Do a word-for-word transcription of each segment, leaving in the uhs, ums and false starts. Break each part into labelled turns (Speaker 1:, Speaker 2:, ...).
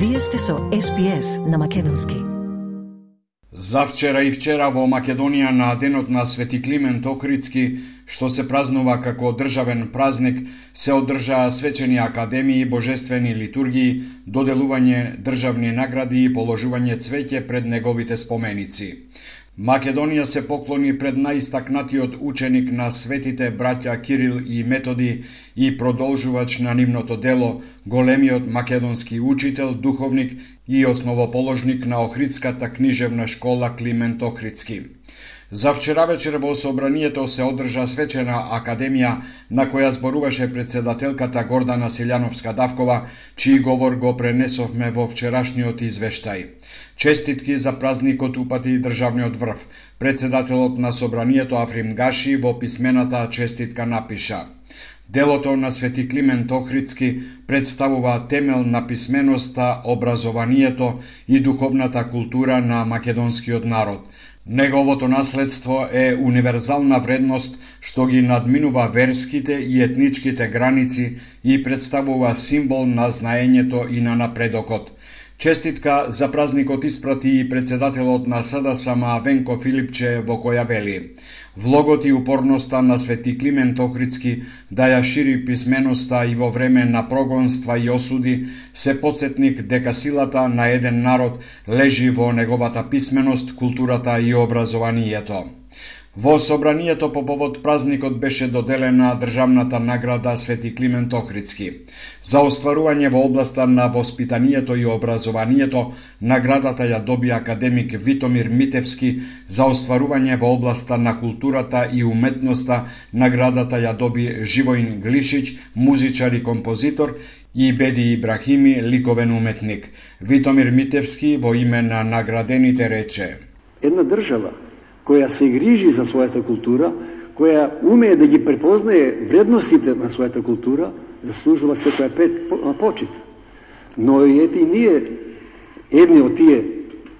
Speaker 1: Вие сте со Ес Би Ес на македонски.
Speaker 2: Завчера и вчера во Македонија на денот на Свети Климент Охридски, што се празнува како државен празник, се одржаа свечени академии, божествени литургии, доделување државни награди и положување цвеќе пред неговите споменици. Македонија се поклони пред најистакнатиот ученик на светите браќа Кирил и Методи и продолжувач на нивното дело, големиот македонски учител, духовник и основоположник на Охридската книжевна школа Климент Охридски. За вчера вечер во собранието се одржа свечена академија на која зборуваше председателката Гордана Селјановска-Давкова, чиј говор го пренесовме во вчерашниот извештај. Честитки за празникот упати државниот врв. Председателот на собранието Африм Гаши во писмената честитка напиша: Делото на Свети Климент Охридски представува темел на писменоста, образованието и духовната култура на македонскиот народ. Неговото наследство е универзална вредност што ги надминува верските и етничките граници и представува символ на знаењето и на напредокот. Честитка за празникот испрати и председателот на С Д С М Венко Филипче, во која вели: Влогот и упорноста на Свети Климент Охридски да ја шири писменоста и во време на прогонства и осуди се потсетник дека силата на еден народ лежи во неговата писменост, културата и образованието. Во собранието по повод празникот беше доделена државната награда Свети Климент Охридски. За остварување во областа на воспитанието и образованието, наградата ја доби академик Витомир Митевски, за остварување во областа на културата и уметноста, наградата ја доби Живоин Глишич, музичар и композитор, и Беди Ибрахими, ликовен уметник. Витомир Митевски во име на наградените рече:
Speaker 3: Една држава која се грижи за својата култура, која умее да ги препознае вредностите на својата култура, заслужува секоја почит. Но и ети ние, едни од тие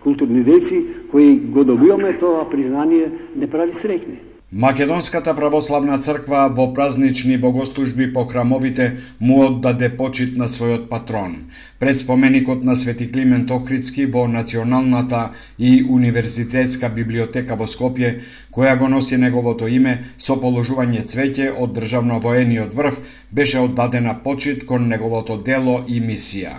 Speaker 3: културни деци, кои го добиваме тоа признание, не прави среќни.
Speaker 2: Македонската православна црква во празнични богослужби по храмовите му оддаде почит на својот патрон. Пред споменикот на Свети Климент Охридски во Националната и универзитетска библиотека во Скопје, која го носи неговото име, со положување цвеќе од државно-воениот врв, беше оддадена почит кон неговото дело и мисија.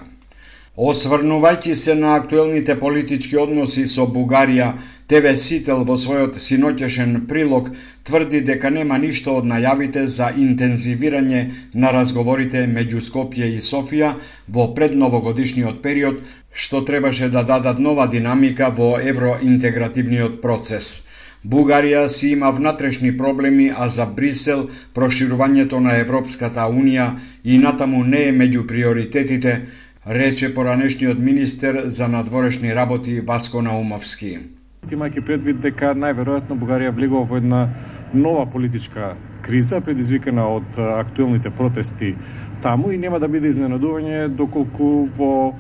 Speaker 2: Осврнувајќи се на актуелните политички односи со Бугарија, Те Ве Сител во својот синоќешен прилог тврди дека нема ништо од најавите за интензивирање на разговорите меѓу Скопје и Софија во предновогодишниот период, што требаше да дадат нова динамика во евроинтегративниот процес. Бугарија си има внатрешни проблеми, а за Брисел проширувањето на Европската Унија и натаму не е меѓу приоритетите, рече поранешниот министер за надворешни работи Васко Наумовски.
Speaker 4: Имајќи предвид дека најверојатно Бугарија влегува во една нова политичка криза предизвикана од актуелните протести таму и нема да биде изненадување доколку во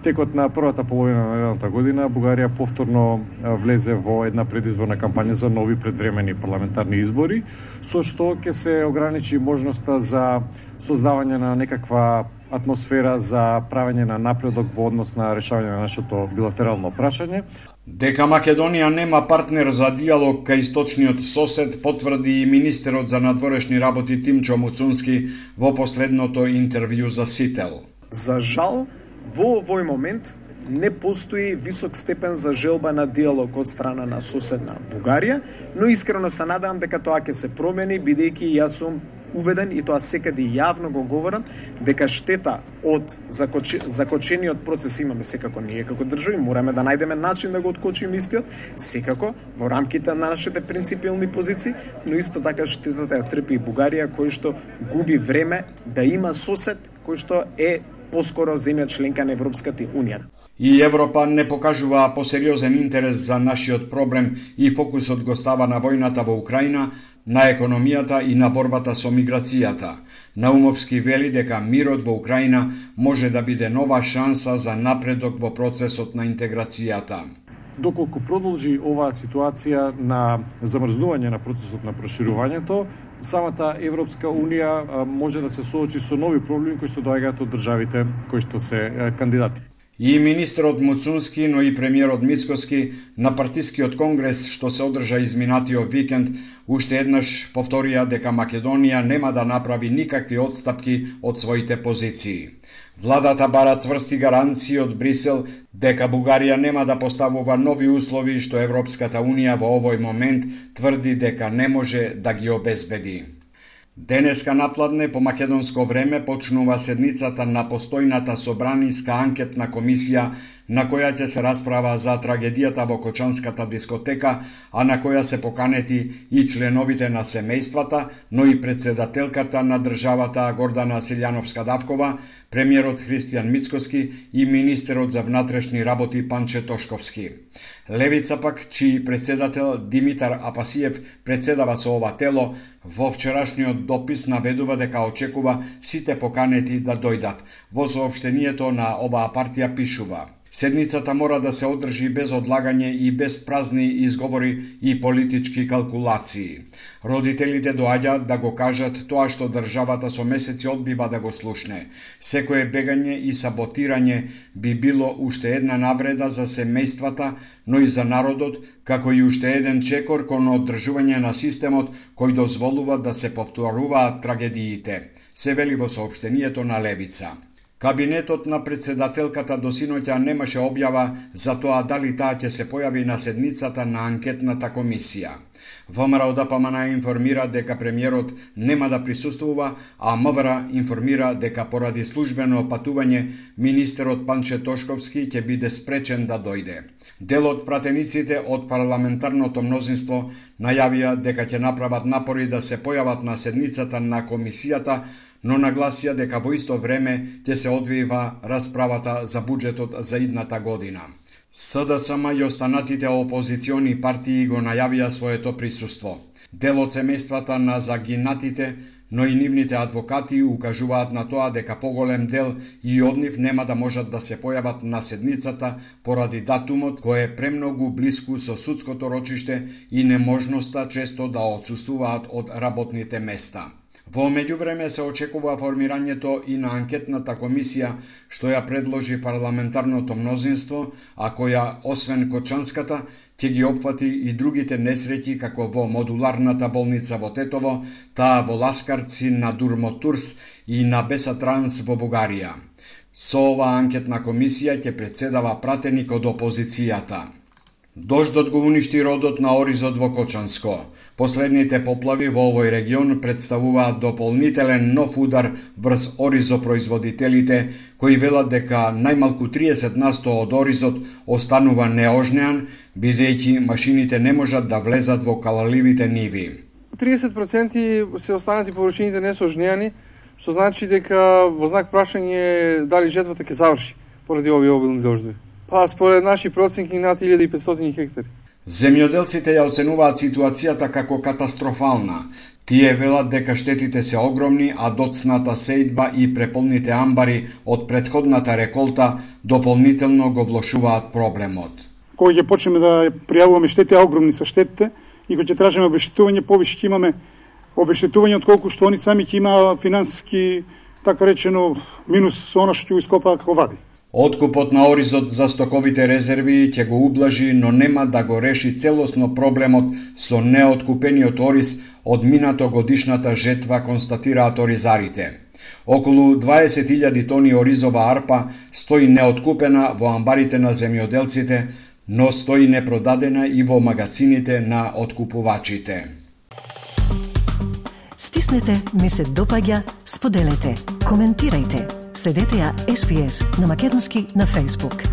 Speaker 4: текот на првата половина на едната година Бугарија повторно влезе во една предизборна кампања за нови предвремени парламентарни избори, со што ќе се ограничи можноста за создавање на некаква атмосфера за правење на напредок во однос на решавање на нашето билатерално прашање.
Speaker 2: Дека Македонија нема партнер за диалог кај источниот сосед, потврди и министерот за надворешни работи Тимчо Муцунски во последното интервју за Сител.
Speaker 5: За жал, во овој момент не постои висок степен за желба на диалог од страна на соседна Бугарија, но искрено се надевам дека тоа ќе се промени, бидејќи јас сум убеден и тоа секаде јавно го говорам дека штета од закочи, закочениот процес имаме секако ние како држави, мораме да најдеме начин да го откочиме истиот, секако во рамките на нашите принципиални позиции, но исто така штетата ја трпи и Бугарија, кој што губи време да има сосед кој што е поскоро земја членка на Европската Унија.
Speaker 2: И Европа не покажува посериозен интерес за нашиот проблем и фокусот го става на војната во Украина, на економијата и на борбата со миграцијата. Наумовски вели дека мирот во Украина може да биде нова шанса за напредок во процесот на интеграцијата.
Speaker 4: Доколку продолжи оваа ситуација на замрзнување на процесот на проширувањето, самата Европска Унија може да се соочи со нови проблеми кои што доаѓаат од државите кои што се кандидати.
Speaker 2: И министерот Муцунски, но и премиерот Мицкоски на партискиот конгрес што се одржа изминатиот викенд уште еднаш повторија дека Македонија нема да направи никакви отстапки од своите позиции. Владата бара цврсти гаранции од Брисел дека Бугарија нема да поставува нови услови што Европската Унија во овој момент тврди дека не може да ги обезбеди. Денеска напладне по македонско време почнува седницата на постојната собраниска анкетна комисија на која ќе се расправа за трагедијата во Кочанската дискотека, а на која се поканети и членовите на семејствата, но и председателката на државата Гордана Силјановска-Давкова, премиерот Христијан Мицкоски и министерот за внатрешни работи Панче Тошковски. Левица пак, чиј председател Димитар Апасиев председава со ова тело, во вчерашниот допис наведува дека очекува сите поканети да дојдат. Во соопштението на оваа партија пишува: седницата мора да се одржи без одлагање и без празни изговори и политички калкулации. Родителите доаѓаат да го кажат тоа што државата со месеци одбива да го слушне. Секое бегање и саботирање би било уште една навреда за семејствата, но и за народот, како и уште еден чекор кон одржување на системот кој дозволува да се повторуваат трагедиите, се вели во соопштението на Левица. Кабинетот на председателката до синоќа немаше објава за тоа дали таа ќе се појави на седницата на анкетната комисија. ВМРО ДПМН информира дека премиерот нема да присуствува, а МВР информира дека поради службено патување министерот Панче Тошковски ќе биде спречен да дојде. Дел од пратениците од парламентарното мнозинство најавија дека ќе направат напори да се појават на седницата на комисијата, но нагласија дека во исто време ќе се одвива расправата за буџетот за идната година. СДСМ и останатите опозициони партии го најавија своето присуство. Дел од семејствата на загинатите, но и нивните адвокати укажуваат на тоа дека поголем дел и од нив нема да можат да се појават на седницата поради датумот кој е премногу блиску со судското рочиште и неможноста често да отсуствуваат од работните места. Во меѓувреме се очекува формирањето и на анкетната комисија што ја предложи парламентарното мнозинство, а која, освен Кочанската, ќе ги опфати и другите несреќи како во модуларната болница во Тетово, таа во Ласкарци на Дурмотурс и на Бесатранс во Бугарија. Со оваа анкетна комисија ќе председава пратеник од опозицијата. Дождот го уништи родот на оризот во Кочанско. Последните поплави во овој регион представуваат дополнителен нов удар врз оризопроизводителите, кои велат дека најмалку триесет на сто од оризот останува неожнеан, бидејќи машините не можат да влезат во калаливите ниви.
Speaker 6: триесет проценти се останати површините не се ожнеани, што значи дека во знак прашање дали жетвата ќе заврши поради овие обилни дождови. Па според наши проценки над илјада и петстотини хектари.
Speaker 2: Земјоделците ја оценуваат ситуацијата како катастрофална. Тие велат дека штетите се огромни, а доцната сејдба и преполните амбари од претходната реколта дополнително го влошуваат проблемот.
Speaker 7: Кога ќе почнеме да пријавуваме штети, огромни се штетите, и кога ќе тражиме обештетување, повише ќе имаме обештетување отколку што они сами ќе има финансиски, така речено, минус со она што ќе го ископаат како вади.
Speaker 2: Откупот на оризот за стоковите резерви ќе го ублажи, но нема да го реши целосно проблемот со неоткупениот ориз од минато годишната жетва, констатираат оризарите. Околу дваесет илјади тони оризова арпа стои неоткупена во амбарите на земјоделците, но стои непродадена и во магазините на откупувачите.
Speaker 1: Стиснете, ми се допаѓа, споделете, коментирајте. Следете ја Ес Би Ес на македонски на Facebook.